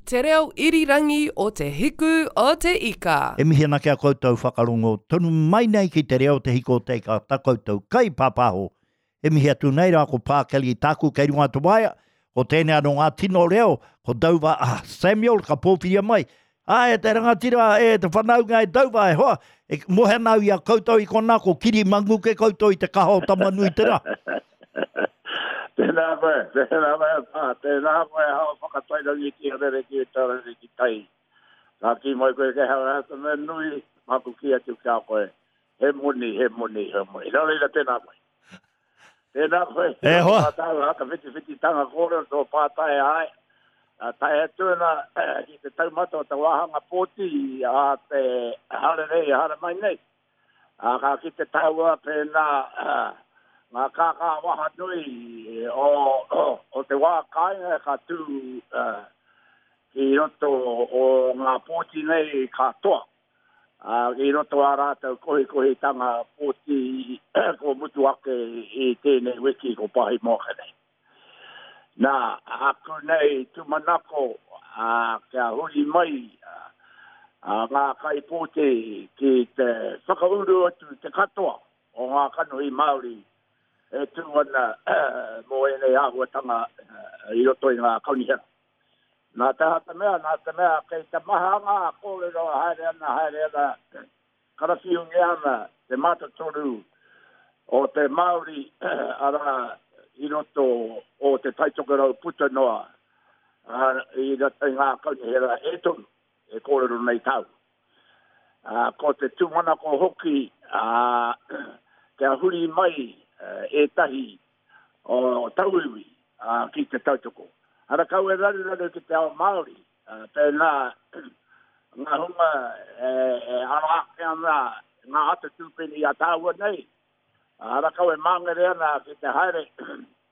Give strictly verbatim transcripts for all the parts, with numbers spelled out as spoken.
Te reo irirangi o Te Hiku o Te Ika. E mihi ana ki a koutou whakarongo tonu mai nei ki te reo Te Hiku o Te Ika, ta koutou kai pāpāho. E mihi atu nei rā ko Pākeli tāku kei runga te waea, ko tēnei anō ngā tino reo, ko Dover ah, Samuel ka pōwhiria mai. Ai, e te rangatira, e te whanaunga e Dover, e hoa, e mohe ana au i a koutou i konā, ko Kiri Manguke koutou i te kaha o Tamanui te rā. Tēnā koe, tēnā koe, pā, tēnā koe, hao whakatairangi ki a rere ki e rere ki tai. Ka kī mai koe ke hau te mea nui, māku ki atu ki a koe, he moni, he moni, he moni. Nō reira, tēnā koe. Tēnā koe, E hoa. Tāu, haka whiti whiti tanga kōrero tō pātai ai. A, tae atu ana eh, ki te taumata o te wāhanga pōti a te harerei, hare mai nei. A, ka ki te taua pēnā uh, ngā kākā waha nui o, o, o te wā kāinga ka tū uh, ki roto o ngā pōti nei katoa. Uh, I roto a rātou kohikohitanga pōti ko mutu ake i tēnei wiki ko pahi moake nei. Nā, aku nei tūmanako uh, kia huri mai uh, ngā kai pōti ki te whakauru atu te katoa o ngā kanohi Māori e tū ana mō ēnei āhuatanga i roto i ngā kaunihera. Nā te hata mea, nā te mea, kei te maha ngā kōrero haere ana, haere ana, karawhiungia ana te mātotoru o te Māori ara i roto o te Taitokerau puta noa i roto i ngā kaunihera e toru e kōrero nei tau. Uh, ko te tūmanako hoki uh, kia huri mai uh, ētahi o tauiwi uh, ki te tautoko. Ara kau e raruraru ki te ao Māori, uh, pēnā ngā hunga e, e ara ake ana ngā ata tūpeni a tāua nei. Ara kau e māngere ana ki te haere,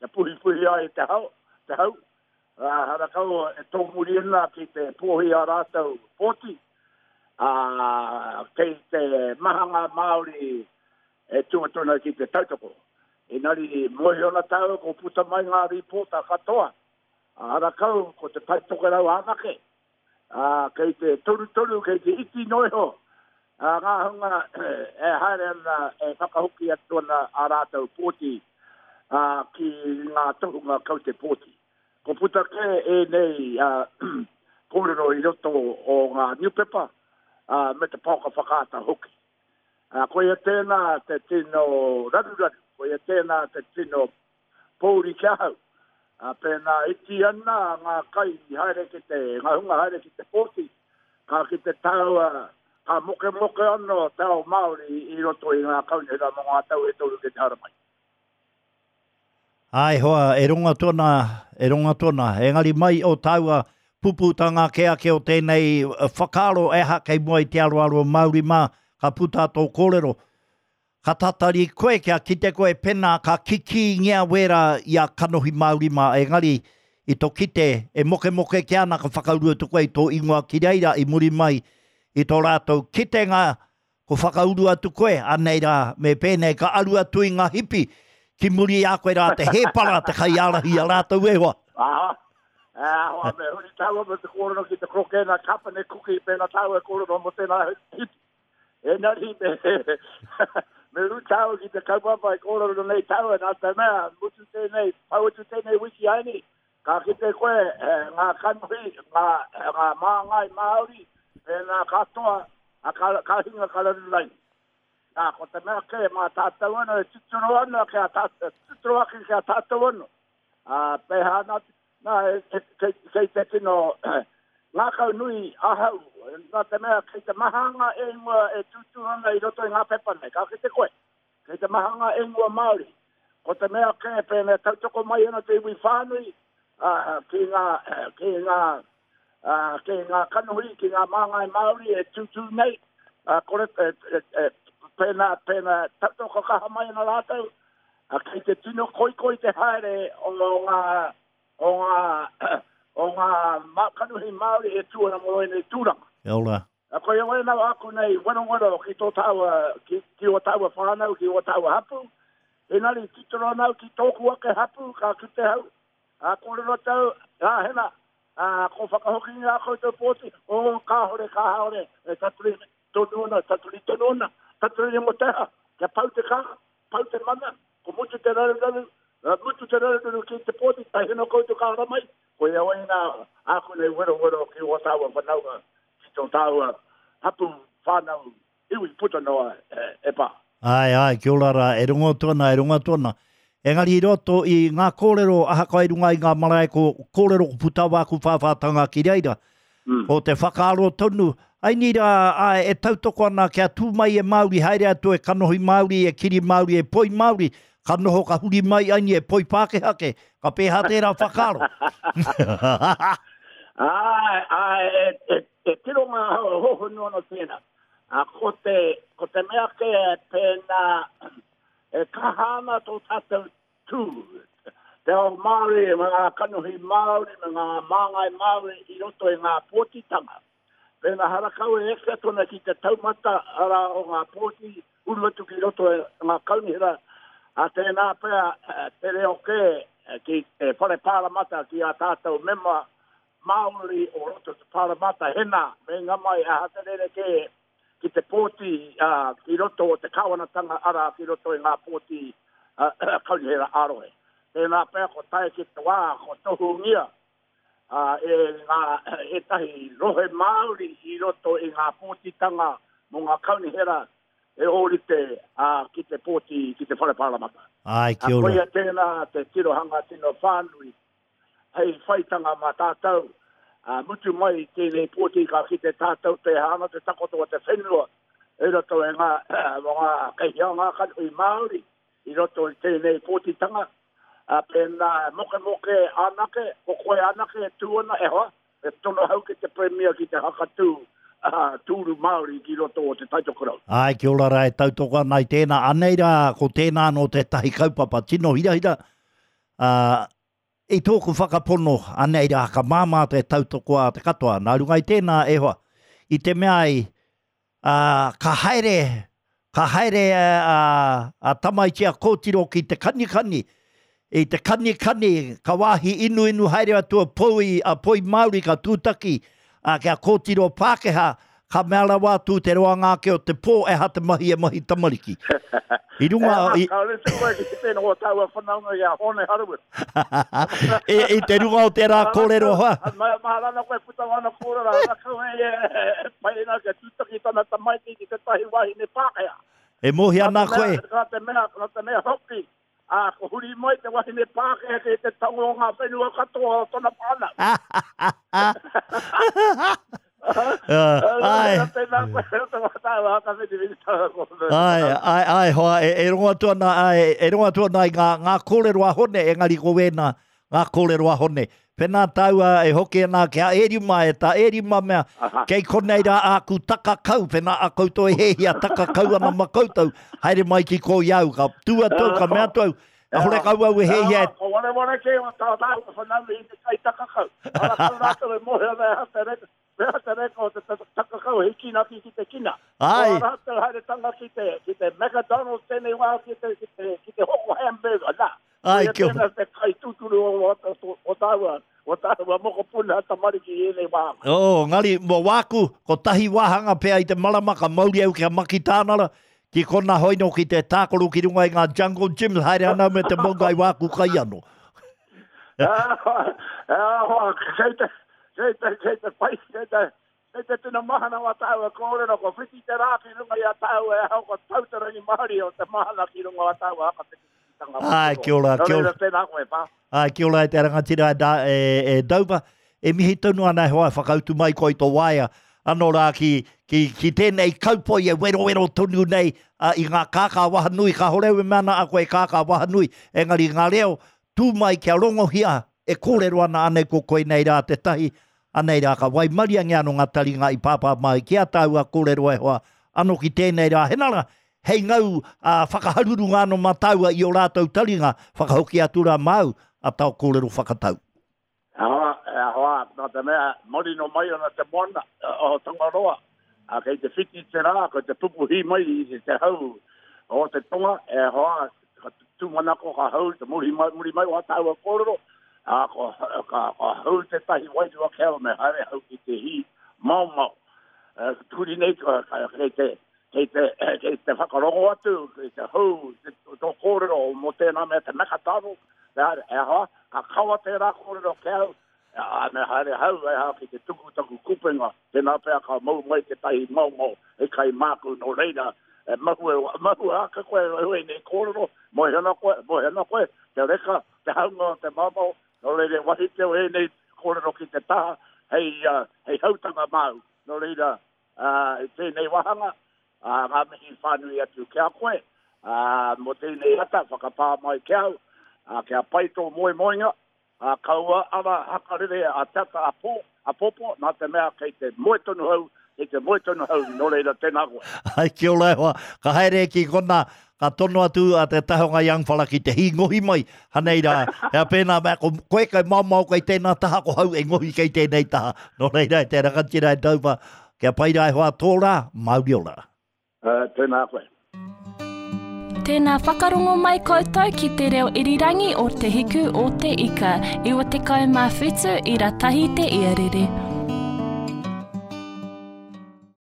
te puhipuhi ai te hau, te hau. Ara kau e tōmuri ana ki te pōhi a rātou pōti. Uh, kei te mahanga Māori e tūatuna ki te tautoko. Engari, mohi ona tāua ko puta mai ngā rīpōta katoa. Ara kau ko te Taitokerau anake. Uh, kei te torutoru, kei te iti noiho. Uh, ngā hunga e haere ana e whakahoki atu ana a rātou pōti uh, ki ngā tohunga kau te pōti. Ko puta ke e nei uh, kōrero i roto o ngā niupepa uh, me te pāka whakaata hoki. Uh, koia tēnā te tino raruraru, koia tēnā te tino pōuri ki ahau. Uh, pēnā iti ana ngā kai haere ki te, ngā hunga haere ki te pōti, ka ki te taua, ka moke moke anō te ao Māori i roto i ngā kaunihera mō ngā tau e toru ki te haramai. Ai hoa, e ronga tona, e ronga tona, engari mai o tāua puputanga ke ake o tēnei whakaaro e ha kei mua i te aroaro Māori mā, ka puta tō kōrero. Ka tatari koe kia kite koe pena ka kiki ngea wera i a kanohi Māori mā, engari i tō kite e moke moke ki ana ka whakauru atu koe i tō ingoa ki reira i muri mai i tō rātou kitenga ko whakauru atu koe, anei rā, me pēnei ka aru atu i ngā hipi ki muri i a koe rā te hēpara te kaiārahi a rātou e hoa. Aha, ahoa, me huri tāua me te kōrero ki te krokena kapane kuki pēnā tāua e kōrero mo tēnā hipi. Engari, me, me ru tāua ki te kaupapa e kōrero nei tāua, nā te mea, mutu tēnei, pau atu tēnei wiki aini, ka kite koe eh, ngā kanohi, ngā, ngā māngai Māori, pēnā katoa, a ka, ka hinga ka raru raini. Nā, ko te mea kē, mā tātou anō, e tuturo ana ki a tātou, tuturo ake ki a tātou anō. Ā, pēhā nā, nā, e, e, kei, kei te tino ngākau nui ahau, nā te mea kei te mahanga e ingoa e tūtū ana i roto i ngā pepa nei, ka kite koe, kei te mahanga e ingoa Māori. Ko te mea kē, pēnā tautoko mai ana te iwi whānui, uh, ki ngā, ki ngā, uh, ki ngā kanohi, ki ngā māngai Māori e tūtū nei, uh, kore, e, e, e, pēnā, pēnā tautoko kaha mai ana rātou, uh, kei te tino koikoi te haere o ngā, o ngā, o ngā kanohi Māori e tū ana mō ēnei tūranga. Kia ora. A koia wena aku nei werowero ki tō tāua, ki, ki o tāua whānau, ki o tāua hapu. Engari titiro nau ki tōku ake hapu, ka kite hau. A kōrero tau, a hena, ā, ko whakahoki ngā koutou pōti, o, kāhore, kāhore, e taturi tonu ana, taturi tonu ana, taturi mo te aha, kia pau te kaha, pau te mana, ko mutu te raruraru, mutu te raruraru ki te pōti, tahi no koutou ka hara mai, ko ia wai nā āku nei wero wero ki o tāua whanaunga, ki tō tāua hapu whānau iwi puta noa e, e pā. Ai, ai, kia ora rā, e rongo atu ana, e rongo atu ana. Engari i roto i ngā kōrero, ahakoa i runga i ngā marae ko kōrero ko puta wāku whāwhātanga ki reira, mm. ko te whakaaro tonu, ai ni rā, ai, e tautoko ana kia tū mai e Māori, haere atu e kanohi Māori, e kiri Māori, e poi Māori, ka noho ka huri mai ai ni e poi Pākehā ke, ka pēhā tērā whakaaro. Ai, ai, e, e, e tiro ngā hohonu ana tēnā. A, ko te, ko te mea ke pēnā, e kaha ana tō tātou tū. Te ao Māori, me ngā kanohi Māori, me ngā māngai Māori i roto i ngā pōtitanga. Pēnā harakau e eke atu ana ki te taumata ara o ngā pōti, uru atu ki roto e ngā kaunihera, a tēnā pea te reo kē ki te whare pāramata ki a tātou mema Māori o roto te pāramata hena, me ngā mai aha te rere kē ki te pōti uh, ki roto o te kāwanatanga ara ki roto i ngā pōti uh, kaunihera ārohe. Tēnā pea ko tae ki te wā, ko tohungia uh, e ngā ētahi rohe Māori i roto i ngā pōtitanga mō ngā kaunihera e ōrite uh, ki te pōti ki te whare pāramata. Ai, kia ora. Koia tēnā te tirohanga tino whānui hei whaitanga mā tātou. Uh, mutu mai tēnei pōti ka ki te tātou te hana te takoto o te whenua e roto e ngā, ngā keihia ngā kanohi Māori i roto i tēnei pōtitanga. Uh, pēnā moke moke anake, ko koe anake e tū ana e hoa, e tono hau ki te Premier ki te hakatū uh, tūru Māori ki roto o te Taitokerau. Ai, kia ora rā, e tautoko ana i tēnā. Anei rā, ko tēnā anō tētahi kaupapa tino hirahira. Uh, I tōku whakapono, anei rā, ka māmā te tautoko a te katoa. Nā runga i tēnā, e hoa, i te mea ai, uh, ka haere, ka haere a, a tamaiti a kōtiro ki te kanikani, i te kanikani, ka wāhi inu inu haere atu a poi, a poi Māori ka tūtaki, a kia kōtiro Pākehā, ka mea rawa atu te roanga ake o te pō e ha te mahi e mahi tamariki. I runga... I... Kāore te koe ki te tēnā o tāua whanaunga i a Hone Harawira. I, i te runga o tērā kōrero hoa. Maharana koe puta wana kōrero, hara kau e, e pai ana kia tūtaki tana tamaiti ki te tahi wahine Pākehā. E mohi ana koe. Nā te mea, nā te mea hoki, ā, ko huri mai te wahine Pākehā ki te tango o ngā whenua katoa o tona whānau. Ai, ai, ai, ai, hoa, e, e rongo atu ana, ai, e rongo atu ana i ngā, ngā kōrero a Hone, engari ko wēnā, ngā kōrero a Hone. Pēnā tāua e hoki ana ki a Erima, e tā Erima mea, kei konei rā āku takakau, pēnā a koutou e hehia takakau ana ma koutou, haere mai ki ko iau, ka tū atu, ka mea atu au, a hore kau au e hehia. Ko ware ware ke o tā tāua whanaunga i te kai takakau. Ara kau rātou e mohe ana e hata reka. Mea te reka o te takakau he kinaki ki te kina. Ai. O rātou haere tanga ki te, ki te McDonald's tēnei wā ki te, ki te, ki te hoko hamburger. Nā. Ai, kia ora. Tēnā te kai tūturu o, o, o, o tāua, o tāua mokopuna tamariki i ēnei wā. Oh, ngari, mō wāku, ko tahi wāhanga pea i te marama ka mauri au kia makitānara, ki kona hoino ki te tākoro ki runga i ngā jungle gyms, haere ana me te monga i wāku kai anō. Ah, ah, kei te, kei te, kei te pai, kei te, kei te tino mahana o tāua kōrero, ko whiti te rā ki runga i a tāua e hau, ko tau te rangi Māori o te mahana ki runga o tāua haka te kitanga. Ai, kia ora, kia ora. Nō reira tēnā koe, pā. Ai, kia ora e te rangatira e, da, e, e Dover. E mihi tonu ana e hoa e whakautu mai koe i tō waea. Anō rā ki, ki, ki tēnei kaupoi e werowero tonu nei uh, i ngā kākā wahanui. Ka hore e mea ana a koe kākā wahanui. Engari ngā reo, tū mai kia rongohia e kōrero ana anei ko koe nei rā te tahi. Anei rā ka waimaria nge anō ngā taringa i pāpā mai ki a tāua kōrero e hoa. Anō ki tēnei rā henara, hei ngau uh, whakaharuru ngā anō mā tāua i o rātou taringa, whakahoki atu rā māu a tau kōrero whakatau. Ahoa, ahoa, nā te mea, marino mai ana te moana o Tangaroa, a kei te whiti te rā, ko te pupuhi mai i te hau o te tonga, e hoa, ka tūmanako ka hau, te muri mai, muri mai o tāua kōrero, Ā, ko, ka, ka hau tētahi wairua ki au, me haere hau ki te hī maomao. Uh, turi nei, ka, ka, kei te, kei te, kei te whakarongo atu, kei te hau, te, tō kōrero mō tēnā mea te mekataro, te haere, e aha, ka kawa tērā kōrero ki au, a, me haere hau, e aha, ki te tuku taku kupenga, tēnā pea ka mau mai tētahi maomao, e kai māku nō reira, e mahue, mahue ake koe, e nei kōrero, moe ana koe, moe ana koe, te reka, te haunga o te maomao, nō reira, wahi te o ēnei kōrero ki te taha, hei, uh, hei hautanga māu. Nō reira, uh, i tēnei wāhanga, uh, ngā mihi whānui atu ki a koe, uh, mō tēnei ata, whakapā mai ki au, uh, kia pai tō moemoenga, uh, kaua ara hakarere a tata a pō, a popo, nā te mea kei te moe tonu hau, kei te moe tonu hau, nō reira, tēnā koe. Ai, kia ora e hoa, ka haere ki kona, ka tono atu a te tahonga young fella ki te hī ngohi mai, hanei rā, hea pēnā mea, ko koe kai maomao kei tēnā taha, ko hau e ngohi kei tēnei taha. Nō reira, e te rangatira e taupa, kia pai rā e hoa tō rā, mauri ora. Uh, tēnā koe. Tēnā whakarongo mai koutou ki te reo irirangi o Te Hiku o Te Ika, iwa tekau mā whitu ira tahi te iarere.